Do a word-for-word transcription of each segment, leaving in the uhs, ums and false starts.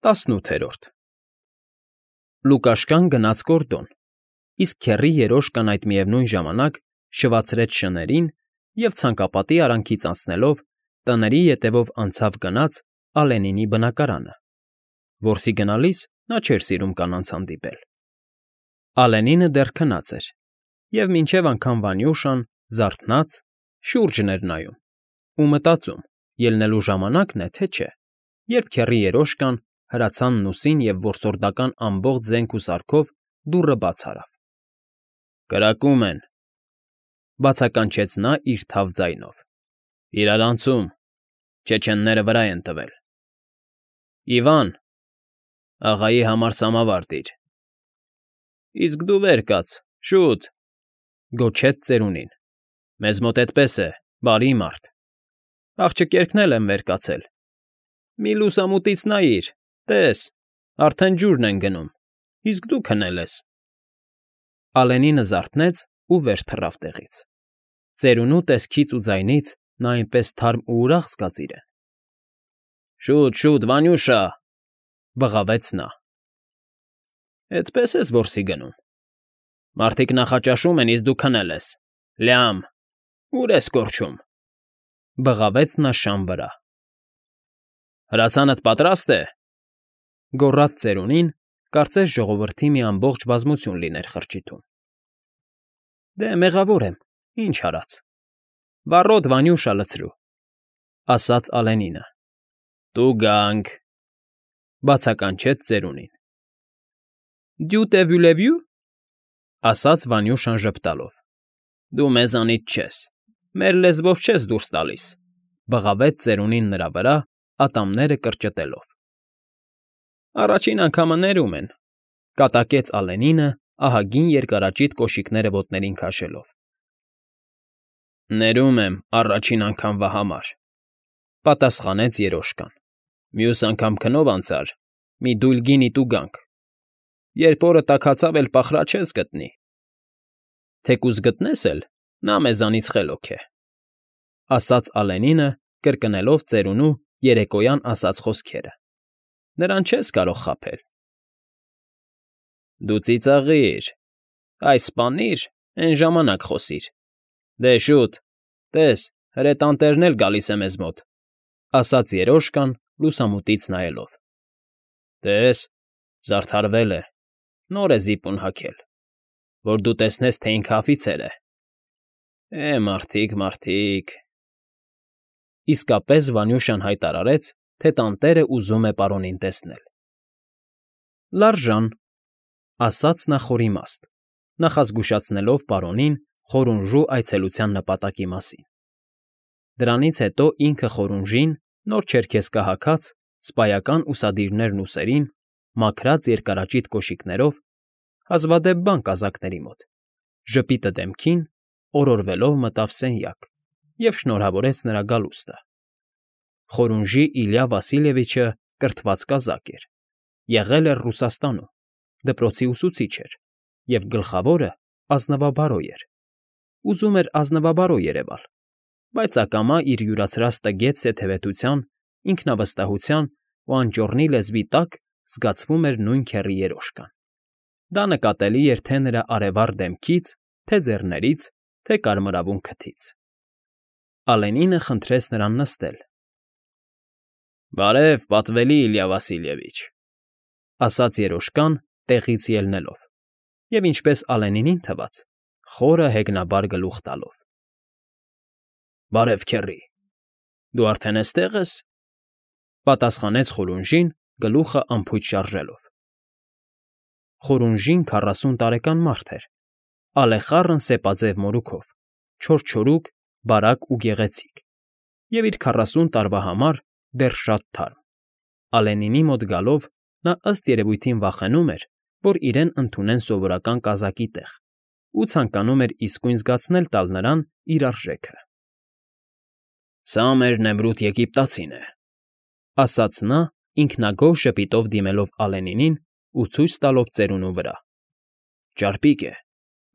ՏԱՍՆՈՒԹԵՐՈՐԴ Լուկաշկան գնաց գոռդոն, իսկ քեռի երոշկան այդ միևնույն ժամանակ շվացրեց շներին և, ցանկապատի արանքից անցնելով, տների ետևով անցավ֊գնաց Ալենինի բնակարանը. որսի գնալիս նա չէր սիրում կանանց հանդիպել։ Ալենինը դեռ քնած էր, և մինչև անգամ Վանյուշան, զարթնած, շուրջն էր նայում ու մտածում՝ ելնելու ժամանակն է, թե չէ, երբ քեռի երոշկան, հրացանն ուսին և որսորդական ամբողջ զենք ու սարքով դուռը բաց արավ։ ֊ Կրակում են,֊ բացականչեց նա իր թավ ձայնով։֊ Իրարանցում, չեչենները վրա են տվել։ ֊ Իվան, աղայի համար սամավար տիր։ ֊ Իսկ դու վեր կաց, շուտ,֊ գոչեց ծերունին։ ֊ Մեզ մոտ էդպես է, բարի մարդ։ ֊ Աղջկերքն էլ են վեր կացել։ ֊ Մի լուսամուտից նայիր, տես, արդեն ջուրն են գնում, իսկ դու քնել ես։ Ալենինը զարթնեց ու վեր թռավ տեղից։ Ծերունու տեսքից ու ձայնից նա այնպես թարմ ու ուրախ զգաց իրեն։ ֊ Շուտ, շուտ, Վանյուշա,֊ բղավեց նա։ ֊ Էդպե՞ս ես որսի գնում։ Մարդիկ նախաճաշում են, իսկ դու քնել ես, լյամ, ուր ես կորչում,֊ բղավեց նա շան վրա։ ֊ Հրացանդ պատրա՞ստ է,֊ գոռաց ծերունին, կարծես ժողովրդի մի ամբողջ բազմություն լիներ խրճիթում։ ֊ Դե, մեղավոր եմ, ինչ արած։ Վառոդ, Վանյուշա, լցրու,֊ ասաց Ալենինը։ ֊ Տուգանք,֊ բացականչեց ծերունին։ ֊ Դյու տե վյուլևյու,֊ ասաց Վանյուշան ժպտալով։ ֊ Դու մեզանից չես, մեր լեզվով չես դուրս տալիս,֊ բղավեց ծերունին նրա վրա, ատամները կրճտելով։ ֊ Առաջին անգամը ներում են,֊ կատակեց Ալենինը, ահագին երկարաճիտ կոշիկները ոտներին քաշելով։ ֊ Ներում եմ առաջին անգամվա համար,֊ պատասխանեց երոշկան։ ֊ Մյուս անգամ քնով անցար, մի դույլ գինի տուգանք։ Երբ օրը տաքացավ, էլ պախրաչես գտնի։ Թեկուզ գտնես էլ, նա մեզանից խելոք է,֊ ասաց Ալենինը, կրկնելով ծերունու երեկոյան ասած խոսքերը։ ֊ Նրան չես կարող խաբել։ ֊ Դու ծիծաղիր, այս սպանիր, էն ժամանակ խոսիր։ Դե, շուտ, տես, հրետանտերն էլ գալիս է մեզ մոտ,֊ ասաց երոշկան, լուսամուտից նայելով։ ֊ Տես, զարդարվել է, նոր է զիպուն հագել, որ դու տեսնես, թե ինքը աֆիցեր է։ Է, մարդիկ, մարդիկ… Իսկապես Վանյուշան հայտարարեց, թե տանտերը ուզում է պարոնին տեսնել։ ֊ Լարժան,֊ ասաց նա խորիմաստ, նախազգուշացնելով պարոնին Խորունժու այցելության նպատակի մասին։ Դրանից հետո ինքը Խորունժին, նոր չերքեզկա հագած, սպայական ուսադիրներն ուսերին, մաքրած երկարաճիտ կոշիկներով, հազվադեպ բան կազակների մոտ, ժպիտը դեմքին, օրորվելով մտավ սենյակ և շնորհավորեց նրա գալուստը։ Խորունժի Իլյա Վասիլևիչը կրթված կազակ էր, եղել էր Ռուսաստանում, դպրոցի ուսուցիչ էր և, գլխավորը, ազնվաբարոյ էր։ Ուզում էր ազնվաբարոյ երևալ, բայց ակամա իր յուրացրած տգետ սեթևետության, ինքնավստահության ու անճոռնի լեզվի տակ զգացվում էր նույն քեռի երոշկան։ Դա նկատելի էր թե նրա արևառ դեմքից, թե ձեռներից, թե կարմրավուն քթից։ Ալենինը խնդրեց նրան նստել։ ֊ Բարև, պատվելի Իլյա Վասիլևիչ,֊ ասաց երոշկան, տեղից ելնելով և, ինչպես Ալենինին թվաց, խորը հեգնաբար գլուխ տալով։ ֊ Բարև, քեռի, դու արդեն էստեղ ես,֊ պատասխանեց Խորունժին, գլուխը անփույթ շարժելով։ Խորունժին քառասուն տարեկան մարդ էր, ալեխառն սեպաձև մորուքով, չորչորուկ, բարակ ու գեղեցիկ, և իր քառասուն տարվա համար դեռ շատ թարմ։ Ալենինի մոտ գալով նա ըստ երևույթին վախենում էր, որ իրեն ընդունեն սովորական կազակի տեղ ու ցանկանում էր իսկույն զգացնել տալ նրան իր արժեքը։ ֊ Սա մեր նեմրութ եգիպտացին է,֊ ասաց նա, ինքնագոհ ժպիտով դիմելով Ալենինին ու ցույց տալով ծերունու վրա։ ֊ Ճարպիկ է,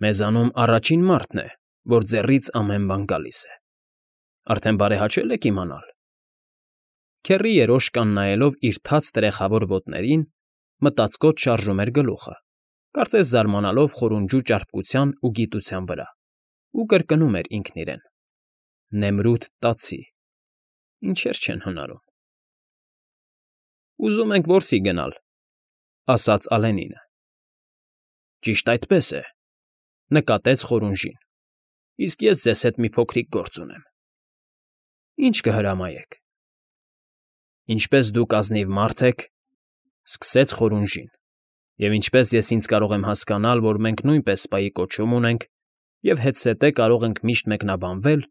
մեզանում առաջին մարդն է, որ ձեռից ամեն բան գալիս է։ Արդեն բարեհաճե՞լ եք իմանալ։ ֊ Քեռի երոշկան նայելով իր թաց տրեխավոր ոտներին, մտածկոտ շարժում էր գլուխը, կարծես զարմանալով խորունջու ճարպկության ու գիտության վրա, ու կրկնում էր ինքն իրեն. «Նեմրութ տացի, ինչեր չեն հնարում»։ «Ուզում ենք որսի գնալ», ֊ ասաց Ալենինը։ «Ճիշտ այդպես է,֊ նկատեց Խորունժին,֊ իսկ ես ձեզ հետ մի փոքրիկ գործ ունեմ»։ «Ի՞նչ կհրամայեք»։ «Ինչպես դուք ազնիվ մարդ եք,֊ սկսեց Խորունժին,֊ և ինչպես ես ինձ կարող եմ հասկանալ, որ մենք նույնպես սպայի կոչում ունենք և հետզհետե կարող ենք միշտ մեկնաբանվել,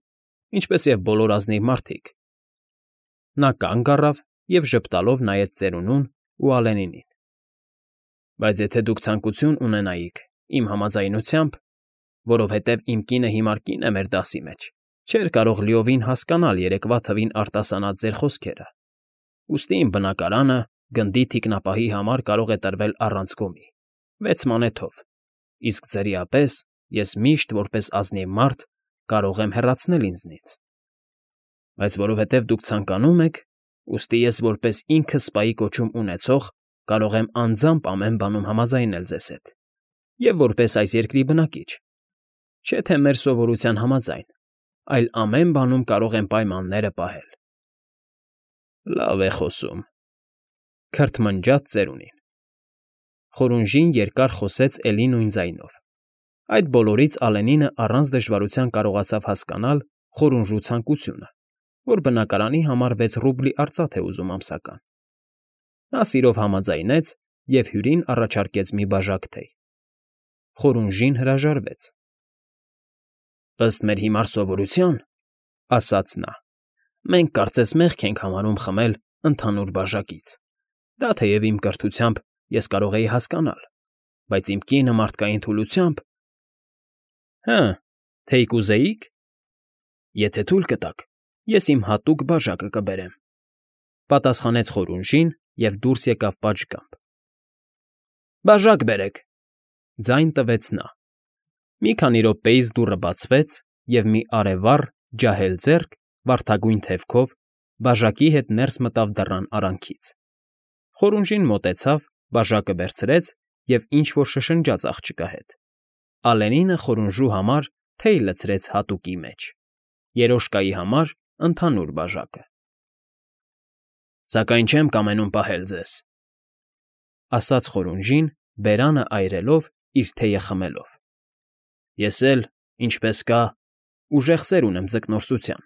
ինչպես և բոլոր ազնիվ մարդիկ…» Նա կանգ առավ և ժպտալով նայեց ծերունուն ու Ալենինին։ «Բայց եթե դուք ցանկություն ունենայիք, իմ համաձայնությամբ, որովհետև իմ կինը հիմար կին է մեր դասի մեջ, չէր կարող լիովին հասկանալ երեկվա թվին արտասանած ձեր խոսքերը, ուստի իմ բնակարանը գնդի թիկնապահի համար կարող է տրվել առանց գումի, վեց մանեթով, իսկ ձրի ապես ես միշտ, որպես ազնիվ մարդ, կարող եմ հեռացնել ինձնից։ Բայց որովհետև դուք ցանկանում եք, ուստի ես որպես ինքս սպայի կոչում ունեցող կարող եմ անձամբ ամեն բանում համաձայնել ձեզ հետ, և որպես այս երկրի բնակիչ, չէ թե մեր սովորության համաձայն, այլ ամեն բանում կարող եմ պայմանները պահել»։ «Լավ է խոսում,֊ քրթմնջաց ծերունին։ Խորունժին երկար խոսեց էլի նույն ձայնով։ Այդ բոլորից Ալենինը առանց դժվարության կարողացավ հասկանալ Խորունժու ցանկությունը, որ բնակարանի համար վեց ռուբլի արծաթ է ուզում ամսական։ Նա սիրով համաձայնեց և հյուրին առաջարկեց մի բաժակ թեյ։ Խորունժին հրաժարվեց։ «Ըստ մեր հիմար սովորության,֊ ասաց նա,֊ մենք կարծես մեղք ենք համարում խմել ընդհանուր բաժակից. դա թեև իմ կրթությամբ ես կարող էի հասկանալ, բայց իմ կինը մարդկային թուլությամբ…»։ «Հը, թեյ կուզեի՞ք։ Եթե թույլ կտաք, ես իմ հատուկ բաժակը կբերեմ,֊ պատասխանեց Խորունժին և դուրս եկավ պատշգամբ։ «Բաժակ բերեք,֊ ձայն տվեց նա։ Մի քանի րոպեից դուռը բացվեց, և մի արևառ, ջահել ձեռք, վարդագույն թևքով, բաժակի հետ ներս մտավ դռան արանքից։ Խորունժին մոտեցավ, բաժակը վերցրեց և ինչ֊որ շշնջաց աղջկա հետ։ Ալենինը Խորունժու համար թեյ լցրեց հատուկի մեջ, երոշկայի համար ընդհանուր բաժակը։ «Սակայն չեմ կամենում պահել ձեզ,֊ ասաց Խորունժին, բերանը այրելով, իր թեյը խմելով,֊ ես էլ, ինչպես կա, ուժեղ սեր ունեմ ձկնորսության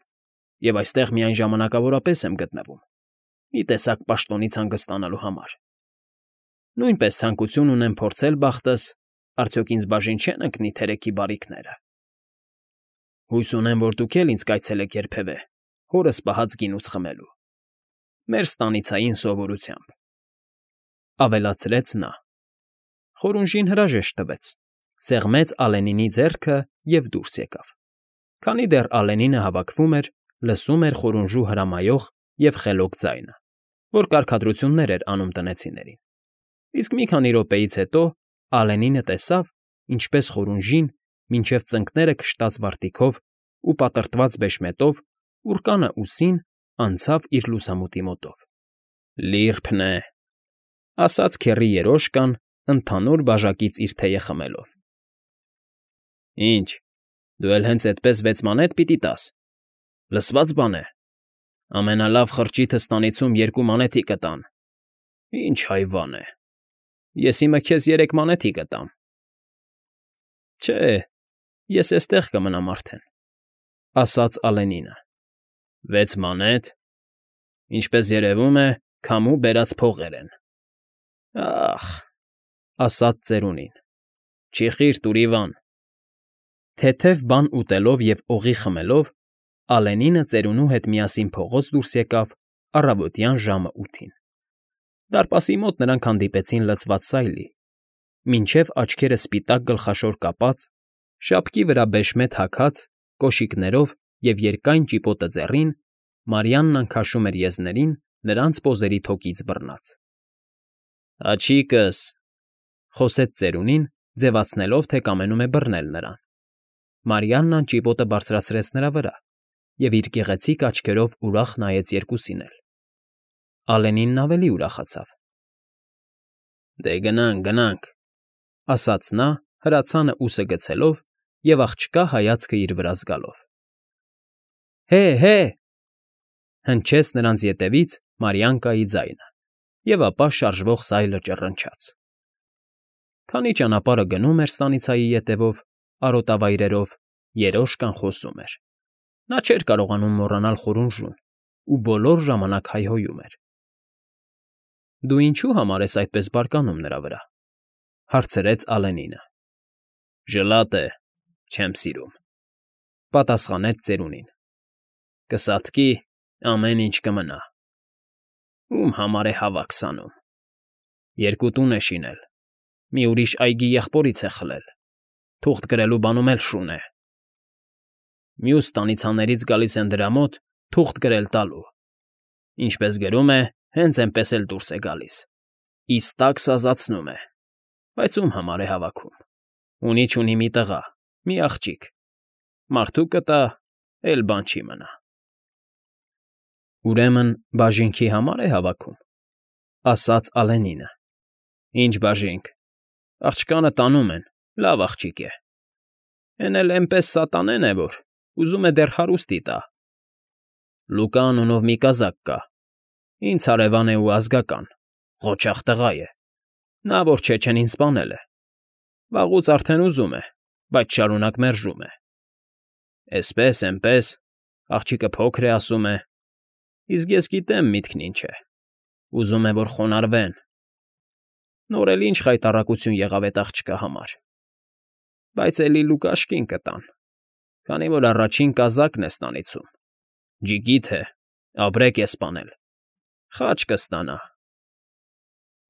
և այստեղ միայն ժամանակավորապես եմ գտնվում, մի տեսակ պաշտոնից հանգստանալու համար։ Նույնպես ցանկություն ունեմ փորձել բախտս, արդյոք ինձ բաժին չեն ընկնի թերեքի բարիքները։ Հույս ունեմ, որ դուք էլ ինձ կայցելեք երբևէ հորս պահած գինուց խմելու, մեր ստանիցային սովորությամբ,֊ ավելացրեց նա։ Խորունժին հրաժեշտ տվեց, սեղմեց Ալենինի ձեռքը և դուրս եկավ։ Քանի դեռ Ալենինը հավաքվում էր, լսում էր Խորունժու հրամայող և խելոք ձայնը, որ կարգադրություններ էր անում տնեցիներին։ Իսկ մի քանի րոպեից հետո Ալենինը տեսավ, ինչպես Խորունժին, մինչև ծնկները քշտած վարտիքով ու պատրտված բեշմետով, ուռկանը ուսին, անցավ իր լուսամուտի մոտով։ «Լիրբն է,֊ ասաց քեռի երոշկան, ընդհանուր բաժակից իր թեյը խմելով։ Ի՞նչ, դու էլ հենց էդպես վեց մանեթ պիտի տաս, լսվա՞ծ բան է։ Ամենալավ խրճիթը ստանիցում երկու մանեթի կտան։ Ինչ հայվան է, ես իմը քեզ երեք մանեթի կտամ։ Չէ, ես էստեղ կմնամ արդեն,֊ ասաց Ալենինը։ Վեց մանեթ… Ինչպես երևում է, քամու բերած փողեր են։ Ա՜խ,֊ ասաց ծերունին,֊ չի խիրտ, Ուրիվան։ Թեթև բան ուտելով և օղի խմելով՝ Ալենինը ծերունու հետ միասին փողոց դուրս եկավ առավոտյան ժամը ութին։ Դարպասի մոտ նրանք հանդիպեցին լցված սայլի, մինչև աչքերը սպիտակ գլխաշոր կապած, շապկի վրա բեշմետ հագած, կոշիկներով և երկայն ճիպոտը ձեռին, Մարիաննան քաշում էր եզներին նրանց պոզերի թոկից բռնած։ Աջիկս,֊ խոսեց ծերունին, ձևացնելով, թե կամենում է բռնել նրան։ Մարիաննան ճիպոտը բարձրացրեց նրա վրա և իր գեղեցիկ աչքերով ուրախ նայեց երկուսին էլ։ Ալենինն ավելի ուրախացավ։ Դե գնանք, գնանք, ասաց նա, հրացանը ուսը գցելով և աղջկա հայացքը իր վրա զգալով։ Հե՜, հե՜, հնչեց նրանց ետևից Մարիանկայի ձայնը, և ապա շարժվող սայլը ճռնչաց։ Քանի ճանապարհը գնում էր ստանիցայի ետևով, արոտավայրերով, երոշկան խոսում էր։ Նա չէր կարողանում մոռանալ խորունժուն ու բոլոր ժամանակ հայհոյում էր։ Դու ինչու՞ համար ես այդպես բարկանում նրա վրա,֊ հարցրեց Ալենինը։ Ժլատ է, չեմ սիրում,֊ պատասխանեց ծերունին։ Կսատկի, ամեն ինչ կմնա։ Ում համար է հավաք սանում։ Երկու տուն է շինել, մի ուրիշ այգի եղբորից է խլել, թուղթ գրելու բանում էլ շուն է։ Մյուս ստանիցաներից գալիս են դրա մոտ թուղթ գրել տալու։ Ինչպես գրում է, հենց էնպես էլ դուրս է գալիս, իսկակ սազացնում է, բայց ում համար է հավաքում։ Ունի֊չունի մի տղա, մի աղջիկ, մարդու կտա, էլ բան չի մնա։ Ուրեմն բաժինքի համար է հավաքում,֊ ասաց Ալենինը։ Ինչ բաժինք, աղջկանը տանում են, լավ աղջիկ է։ Էն էլ էնպես սատանեն է, որ ուզում է դեռ հարուստի տա։ Լուկա անունով մի կազակ կա, ինձ հարևան է ու ազգական, ղոչաղ տղա է, նա որ Չեչենին սպանել է։ Վաղուց արդեն ուզում է, բայց շարունակ մերժում է։ Էսպես, էնպես, աղջիկը փոքր է, ասում է, իսկ ես գիտեմ միտքն ինչ է, ուզում է, որ խոնարհվեն։ Նոր էլ ինչ խայտառակություն եղավ էդ աղջկա համար։ Բայց էլի Լուկաշկին կտան, քանի որ առաջին կազակն է ստանիցում, ջիգիթ է, ապրեք է սպանել, խաչ կստանա։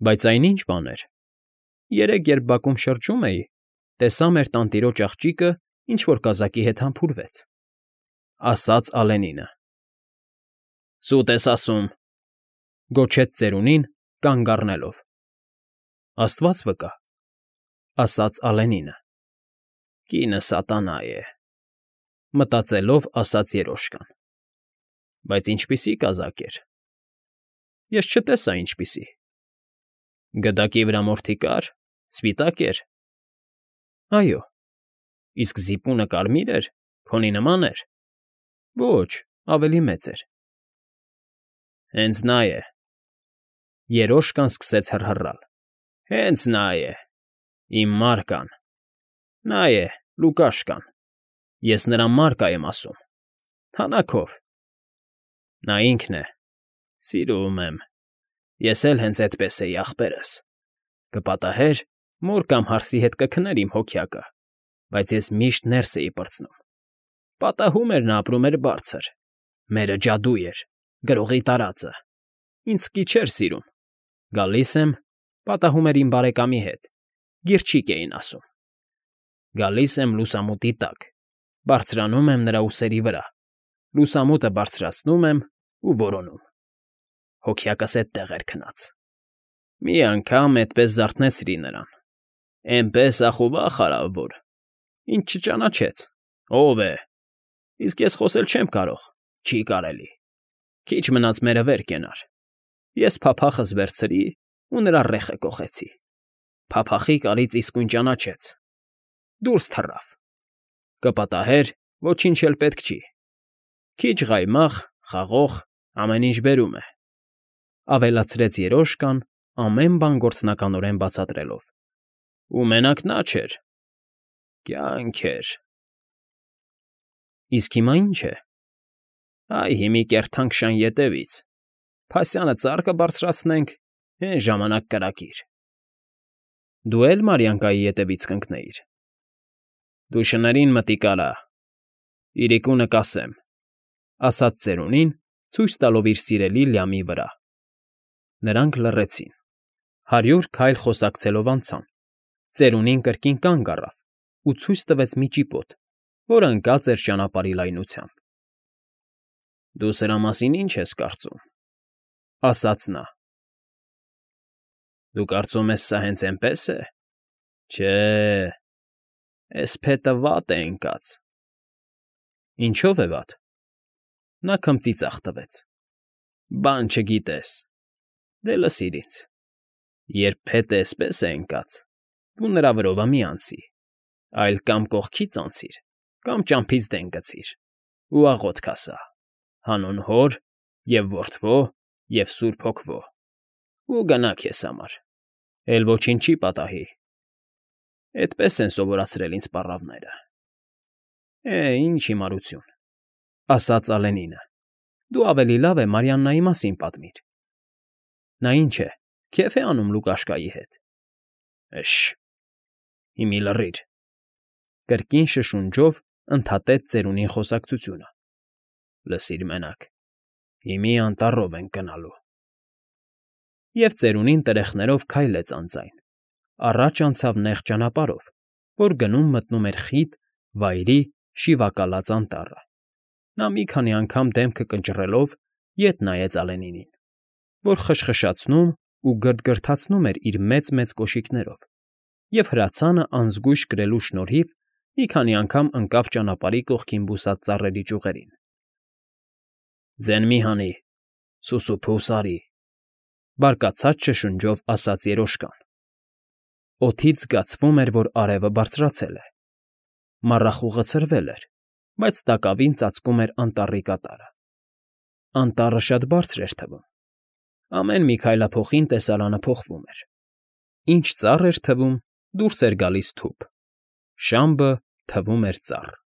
Բայց այն ինչ բան էր։ Երեկ, երբ բակում շրջում էի, տեսա մեր տանտիրոջ աղջիկը ինչ֊որ կազակի հետ համբուրվեց,֊ ասաց Ալենինը։ Սուտ ես ասում,֊ գոչեց ծերունին, կանգ առնելով։ Աստված վկա,֊ ասաց Ալենինը։ Կինը սատանա է,֊ մտածելով ասաց երոշկան։ Բայց ինչպիսի կազակ էր։ Ես չտեսա ինչպիսի։ Գդակի վրա մորթի կար, սպիտակ էր։ Այո։ Իսկ զիպունը կարմիր էր, քոնի նման էր։ Ոչ, ավելի մեծ էր։ Հենց նա է,֊ երոշկան սկսեց հռհռալ։ Հենց նա է, իմ Մարկան, նա է, Լուկաշկան, ես նրա Մարկա եմ ասում, թանաքով։ Նա ինքն է, սիրում եմ, ես էլ հենց էդպես էի, ախպերս, կպատահեր, մոր կամ հարսի հետ կքներ իմ հոգյակը, բայց ես միշտ ներս էի պրծնում։ Պատահում էր նա ապրում էր բարձր, մերը ջադու էր, գրողի տարածը, ինձ սկի չէր սիրում։ Գալիս եմ, պատահում էր իմ բարեկամի հետ, գիրչիկ էին ասում։ Գալիս եմ լուսամուտի տակ, բարձրանում եմ նրա ուսերի վրա, լուսամուտը բարձրացնում եմ ու որոնում։ Հոգյակս էդտեղ էր քնած։ Մի անգամ էդպես զարթնեցրի նրան, էնպես ախուվախ արավ, որ ինձ չճանաչեց, ով է, իսկ ես խոսել չեմ կարող, չի կարելի։ Քիչ մնաց մերը վեր կենար։ Ես փափախս վերցրի ու նրա ռեխը կոխեցի։ Փափախի կարից իսկույն ճանաչեց։ Դուրս թռավ։ Կպատահեր, ոչինչ էլ պետք չի։ Քիչ ղայմաղ, խաղող, ամեն ինչ բերում է,֊ ավելացրեց երոշկան, ամեն բան գործնականորեն բացատրելով։ Ու մենակ նա չէր, կյանք էր։ Իսկ հիմա ի՞նչ է։ Այ հիմի կերթանք շան ետևից, փասյանը ծառ կբարձրացնենք, հեն ժամանակ կրակիր։ Դու էլ Մարիանկայի ետևից կընկնեիր։ Դու շներին մտիկ արա, իրիկունը կասեմ,֊ ասաց ծերունին, ցույց տալով իր սիրելի լյամի վրա։ Նրանք լռեցին։ Հարյուր քայլ խոսակցելով անցան։ Ծերունին կրկին կանգ առավ ու ցույց տվեց մի ճիպոտ, որը ընկած էր ճանապարհի լայնությամբ։ Դու սրա մասին ի՞նչ ես կարծում,֊ ասաց նա։ Դու կարծում ես սա հենց էնպես է։ Չէ, էս փետը վատ է ընկած։ Ինչո՞վ է վատ։ Նա քմծիծաղ տվեց։ Բան չգիտես, Դե լսիր ինձ. երբ փետը էսպես է ընկած, դու նրա վրովը մի անցի, այլ կամ կողքից անցիր, կամ ճամփից դեն գցիր ու աղոթք ասա. հանուն Հոր և Որդվո և Սուրբ Հոգվո, ու գնա քեզ համար, էլ ոչինչ չի պատահի։ Էդպես են սովորացրել ինձ պառավները։ ֊ Է, ինչ հիմարություն,֊ ասաց Ալենինը։֊ Դու ավելի լավ է Մարիաննայի մասին պատմիր։ Նա ինչ է, քեֆ է անում Լուկաշկայի հետ։ ֊ Øշ… Հիմի լռիր,֊ կրկին շշունջով ընդհատեց ծերունին խոսակցությունը։ ֊ Լսիր մենակ, հիմի անտառով ենք գնալու… Եվ ծերունին տրեխներով քայլեց անձայն, առաջ անցավ նեղ ճանապարհով, որ գնում մտնում էր խիտ, վայրի, շիվակալած անտառը։ Նա մի քանի անգամ դեմքը կնճռելով ետ նայեց Ալենինին, որ խշխշացնում ու գրթգրթացնում էր իր մեծ֊մեծ կոշիկներով, և հրացանը անզգույշ կրելու շնորհիվ մի քանի անգամ ընկավ ճանապարհի կողքին բուսած ծառերի ճյուղերին։ ֊ Ձեն մի հանի, սուսուփուս արի,֊ բարկացած շշնջով ասաց երոշկան։ Օդից զգացվում էր, որ արևը բարձրացել է։ Մառախուղը ցրվել էր, բայց տակավին ծածկում էր անտառի կատարը։ Անտառը շատ բարձր էր թվում։ Ամեն մի քայլափոխին տեսարանը փոխվում էր։ Ինչ ծառ էր թվում, դուրս էր գալիս թուփ, շամբը թվում էր ծառ։